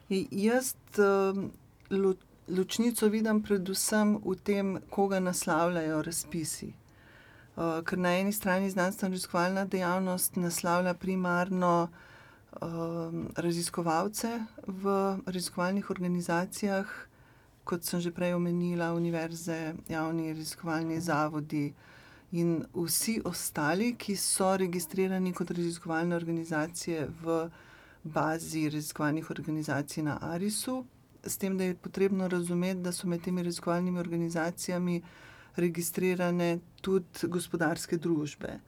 Jaz ločnico vidim predvsem v tem, koga naslavljajo razpisi. Ker na eni strani znanstveno-raziskovalna dejavnost naslavlja primarno raziskovalce v raziskovalnih organizacijah, kot sem že prej omenila, univerze, javni raziskovalni zavodi in vsi ostali, ki so registrirani kot raziskovalne organizacije v bazi raziskovalnih organizacij na ARIS-u, s tem, da je potrebno razumeti, da so med temi raziskovalnimi organizacijami registrirane tudi gospodarske družbe.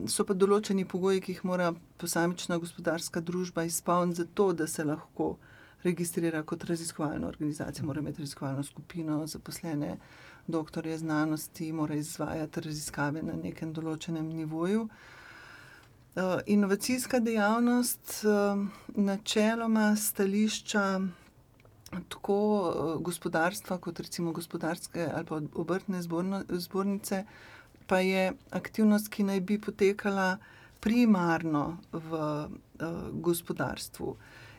So pa določeni pogoji, ki jih mora posamična gospodarska družba izpolniti za to, da se lahko registrira kot raziskovalna organizacija. Mora imeti raziskovalno skupino, zaposlene doktorje znanosti, mora izvajati raziskave na nekem določenem nivoju. Inovacijska dejavnost načeloma stališča tako gospodarstva kot recimo gospodarske ali pa obrtne zbornice pa je aktivnost, ki naj bi potekala primarno v gospodarstvu.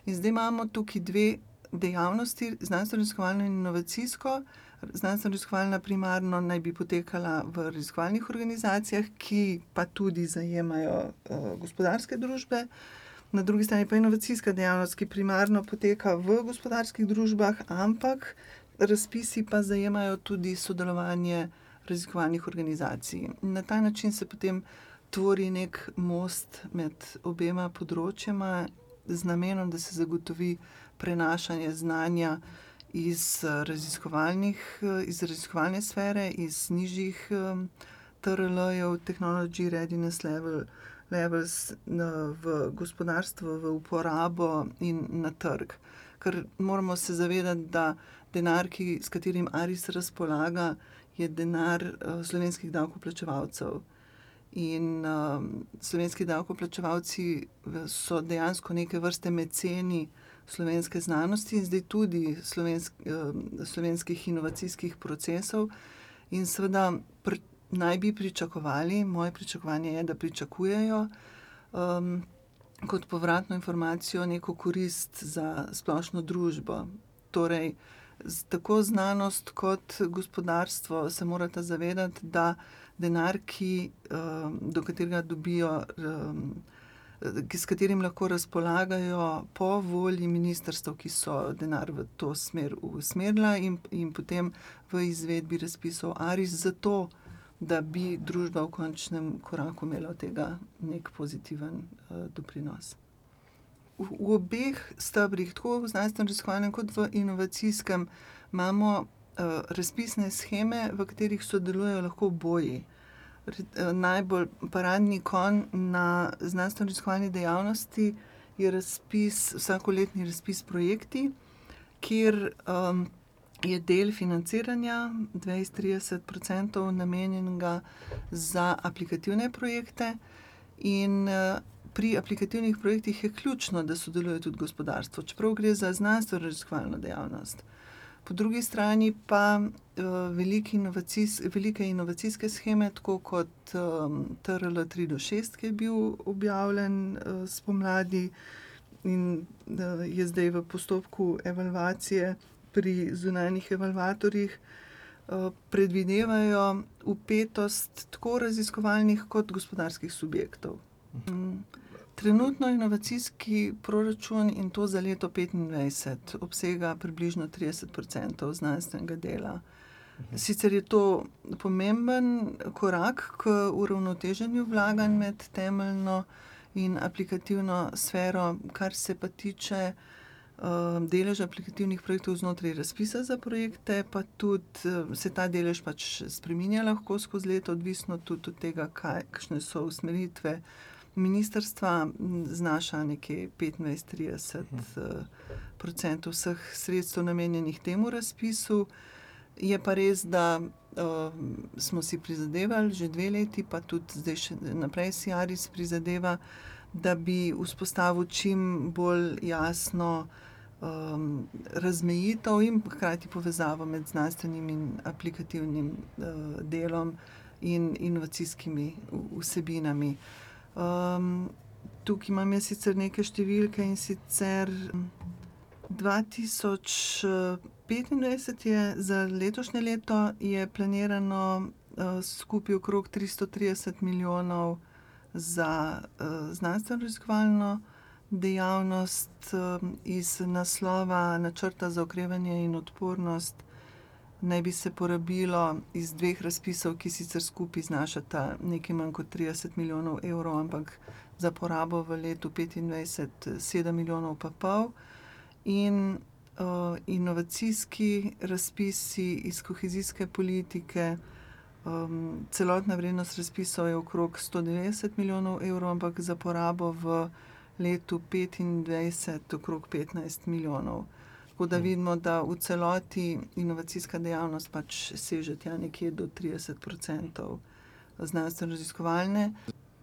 In zdaj imamo tukaj dve dejavnosti, znanstveno-raziskovalno in inovacijsko. Znanstveno-raziskovalna primarno naj bi potekala v raziskovalnih organizacijah, ki pa tudi zajemajo gospodarske družbe. Na drugi strani pa inovacijska dejavnost, ki primarno poteka v gospodarskih družbah, ampak razpisi pa zajemajo tudi sodelovanje raziskovalnih organizacij. Na ta način se potem tvori nek most med obema področjema z namenom, da se zagotovi prenašanje znanja iz raziskovalne sfere, iz nižjih TRL-jev, Technology Readiness Levels, v gospodarstvo, v uporabo in na trg. Ker moramo se zavedati, da denar, s katerim ARIS razpolaga, je denar slovenskih davkoplačevalcev. In slovenski davkoplačevalci so dejansko neke vrste meceni slovenske znanosti in zdaj tudi slovenskih inovacijskih procesov. In seveda naj bi pričakovali, moje pričakovanje je, da pričakujejo kot povratno informacijo neko korist za splošno družbo. Torej, tako znanost kot gospodarstvo se morata zavedati, da denar, do katerega dobijo, s katerim lahko razpolagajo po volji ministrstev, ki so denar v to smer usmerila in potem v izvedbi razpisov ARIS, zato da bi družba v končnem koraku imela od tega nek pozitiven doprinos. V obeh stebrih, tako v znanstveno-raziskovalnem kot v inovacijskem, imamo razpisne sheme, v katerih sodelujejo lahko oboji. Najbolj paradni konj na znanstveno-raziskovalni dejavnosti je vsakoletni razpis projekti, kjer je del financiranja 20-30% namenjenega za aplikativne projekte in pri aplikativnih projektih je ključno, da sodeluje tudi gospodarstvo, čeprav gre za znanstveno-raziskovalno dejavnost. Po drugi strani pa velike inovacijske sheme, tako kot TRL 3-6, ki je bil objavljen spomladi in je zdaj v postopku evalvacije pri zunanjih evalvatorjih, predvidevajo vpetost tako raziskovalnih kot gospodarskih subjektov. Trenutno inovacijski proračun, in to za leto 2025, obsega približno 30% znanstvenega dela. Sicer je to pomemben korak k uravnoteženju vlaganj med temeljno in aplikativno sfero, kar se pa tiče deleža aplikativnih projektov znotraj razpisa za projekte, pa tudi se ta delež pač spreminja lahko skozi leto, odvisno tudi od tega, kakšne so usmeritve ministrstva, znaša nekje 25-30% vseh sredstev namenjenih temu razpisu. Je pa res, da smo si prizadevali že 2 leti, pa tudi zdaj še naprej si ARIS prizadeva, da bi vzpostavil čim bolj jasno razmejitev in hkrati povezavo med znanstvenim in aplikativnim delom in inovacijskimi vsebinami. Tukaj imam jaz sicer neke številke, in sicer 2025 je za letošnje leto je planirano skupaj okrog 330 milijonov za znanstveno-raziskovalno dejavnost. Iz naslova načrta za okrevanje in odpornost naj bi se porabilo iz 2 razpisov, ki sicer skupaj znašata nekaj manj kot 30 milijonov evrov, ampak za porabo v letu 2025 7 milijonov pa pol. In inovacijski razpisi iz kohezijske politike, celotna vrednost razpisov je okrog 190 milijonov evrov, ampak za porabo v letu 2025 okrog 15 milijonov. Tako da vidimo, da v celoti inovacijska dejavnost pač seže tja nekje do 30% znanstveno-raziskovalne.